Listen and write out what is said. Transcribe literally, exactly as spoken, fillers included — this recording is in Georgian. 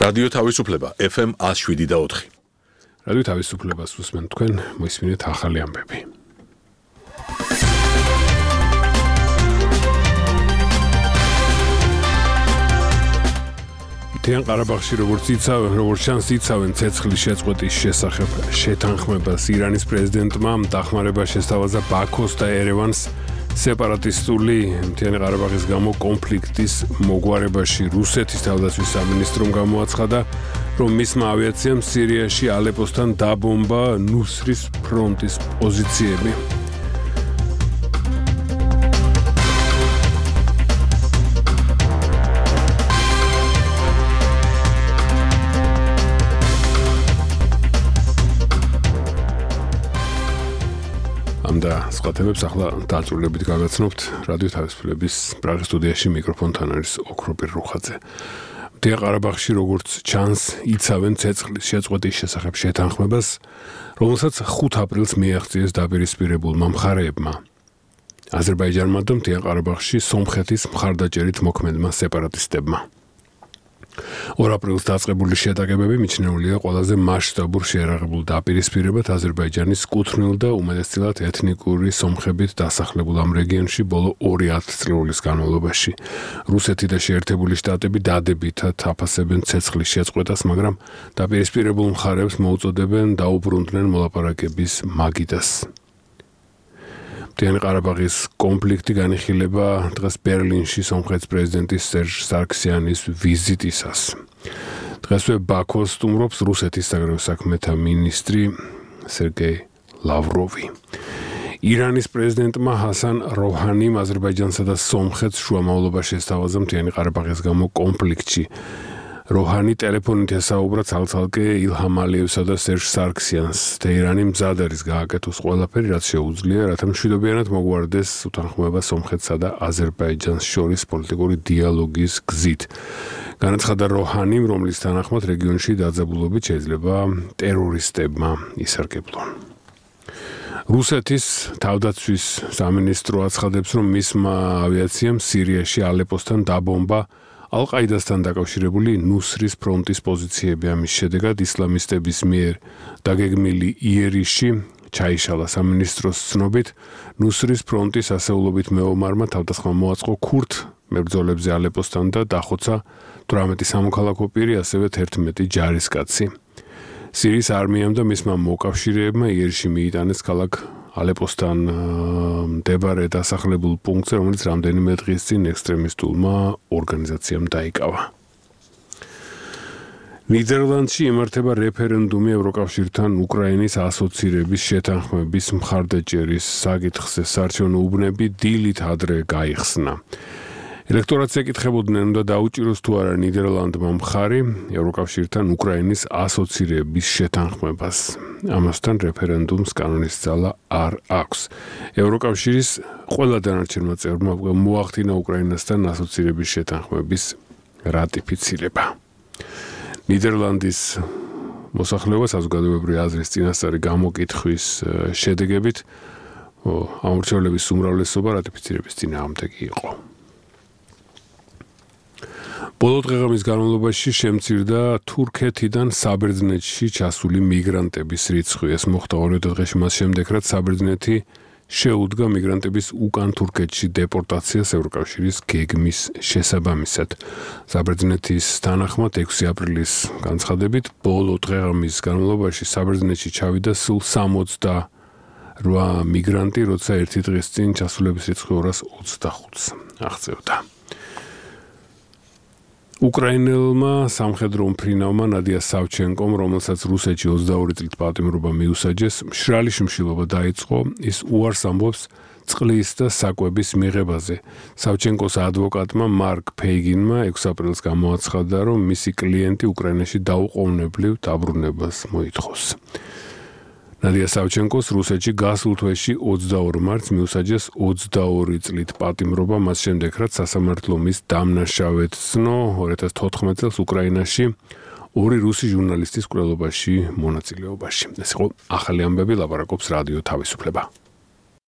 რადიო თავისუფლება ეფ ემ one oh seven და four. რადიო თავისუფლებას უსმენთ თქვენ, მოისმინეთ ახალი ამბები. მთიან ყარაბაღში როგორც იცავენ, როგორც ჩანს იცავენ ცეცხლის შეწყვეტის შესახებ შეთანხმებას ირანის პრეზიდენტმა დახმარება შესთავაზა ბაქოს და ერევანს სეპარატისტული მთიანი ყარაბაღის გამო კონფლიქტის მოგვარებაში. რუსეთის თავდაცვის სამინისტრომ გამოაცხადა, რომ მისმა ავიაციამ სირიაში ალეპოსთან დაბომბა ნუსრის ფრონტის პოზიციები. და სხვა თემებს ახლა დაწვრილებით გაგაცნობთ რადიო თავისუფლების პრაღის სტუდიაში მიკროფონთან არის ოქროპირ რუხაძე. მთიან ყარაბაღში როგორც ჩანს იცავენ ცეცხლის შეწყვეტის შესახებ შეთანხმებას, რომელსაც ხუთი აპრილს მიაღწიეს დაპირისპირებულმა მხარეებმა. აზერბაიჯანმა და მთიან ყარაბაღში სომხეთის მხარდაჭერით მოქმედმა სეპარატისტებმა. ორ აპრილს დაწყებული შეტაკებები მიჩნეულია ყველაზე მასშტაბურ შეერაღებულ დაპირისპირებად აზერბაიჯანის კუთვნილ და უმეტესწილად ეთნიკური სომხებით დასახლებულ ამ რეგიონში ბოლო ორი ათწლეულის განმავლობაში. რუსეთი და შეერთებული შტატები დადებითად აფასებენ ცეცხლის შეწყვეტას, მაგრამ დაპირისპირებულ მხარეებს მოუწოდებენ დაუბრუნდნენ მოლაპარაკების მაგიდას. მთიანი ყარაბაღის კონფლიქტი განიხილება დღეს ბერლინში სომხეთის პრეზიდენტის სერჟ სარქსიანის ვიზიტისას. დღესვე ბაქოს სტუმრობს რუსეთის საგარეო საქმეთა მინისტრი სერგეი ლავროვი. ირანის პრეზიდენტმა ჰასან როჰანიმ აზერბაიჯანსა და სომხეთს შუამავლობა შესთავაზა მთიანი ყარაბაღის გამო კონფლიქტში. როჰანი ტელეფონით ესაუბრა ცალ-ცალკე ილჰამ ალიევსა და სერჟ სარქსიანს. თეირანი მზად არის გააკეთოს ყველაფერი, რაც შეუძლია, რათა მშვიდობიანად მოგვარდეს უთანხმოება სომხეთსა და აზერბაიჯანს შორის პოლიტიკური დიალოგის გზით. განაცხადა როჰანიმ, რომლის თანახმად რეგიონში დაძაბულობით შეიძლება ტერორისტებმა ისარგებლონ. რუსეთის თავდაცვის სამინისტრო აცხადებს, რომ მისმა ავიაციამ სირიაში ალეპოსთან დაბომბა ალ-ყაიდასთან დაკავშირებული ნუსრის ფრონტის პოზიციები. ამის შედეგად ისლამისტების მიერ დაგეგმილი იერიში ჩაიშალა. სამინისტროს ცნობით, ნუსრის ფრონტის ასეულობით მეომარმა თავდასხმა მოაწყო ქურთ მებრძოლებზე ალეპოსთან და დახოცა თვრამეტი სამოქალაქო პირი, ასევე თერთმეტი ჯარისკაცი. სირიის არმიამ და მისმა მოკავშირეებმა იერიში მიიტანეს ქალაქ ალეპოსთან მდებარე დასახლებულ პუნქტზე, რომელიც რამდენიმე დღის წინ ექსტრემისტულმა ორგანიზაციამ დაიკავა. ნიდერლანდში იმართება რეფერენდუმი ევროკავშირთან უკრაინის ასოცირების შეთანხმების მხარდაჭერის საკითხზე. საარჩევნო უბნები დილით ადრე გაიხსნა. ელექტორატს ეკითხებოდნენ, უნდა დაუჭიროს თუ არა ნიდერლანდმა მხარი ევროკავშირთან უკრაინის ასოცირების შეთანხმებას. ამასთან რეფერენდუმს კანონის ძალა არ აქვს. ევროკავშირის ყველა დანარჩენმა წევრმა მოახდინა უკრაინასთან ასოცირების შეთანხმების რატიფიცირება. ნიდერლანდის მოსახლეობა საზოგადოებრივი აზრის წინასწარი გამოკითხვის შედეგებით ამორჩევლების უმრავლესობა რატიფიცირების წინააღმდეგი იყო. ბოლო დღეღამის განმავლობაში შემცირდა თურქეთიდან საბერძნეთში ჩასული მიგრანტების რიცხვი. ეს მოხდა ორი დღეში მას შემდეგ, რაც საბერძნეთი შეუდგა მიგრანტების უკან თურქეთში დეპორტაციას ევროკავშირის გეგმის შესაბამისად. საბერძნეთის თანახმად ექვსი აპრილის განცხადებით ბოლო დღეღამის განმავლობაში საბერძნეთში ჩავიდა სულ სამოცდაორი მიგრანტი, როცა ერთი დღის წინ ჩასულების რიცხვი ორას ოცდახუთს აღწევდა. უკრაინელმა სამხედრო უმფრინავმა ნადია სავჩენკომ, რომელსაც რუსეთში ოცდაორი წლით პატიმრობა მიუსაჯეს, მშრალი შიმშილობა დაიწყო. ის უარს ამბობს წყლის და საკვების მიღებაზე. სავჩენკოს ადვოკატმა მარკ ფეიგინმა ექვსი აპრილს გამოაცხადა, რომ მისი კლიენტი უკრაინაში დაუყოვნებლივ დაბრუნებას მოითხოვს. ნადია სავჩენკოს რუსეთში გასულ თვეში ოცდაორ მარტს მიუსაჯეს ოცდაორი წლით პატიმრობა, მას შემდეგ, რაც სასამართლო მის დამნაშავედ ცნო ორი ათას თოთხმეტ წელს უკრაინაში ორი რუსი ჟურნალისტის კვლელობაში მონაწილეობაში. ეს იყო ახალი ამბები, ლაპარაკობს რადიო თავისუფლება.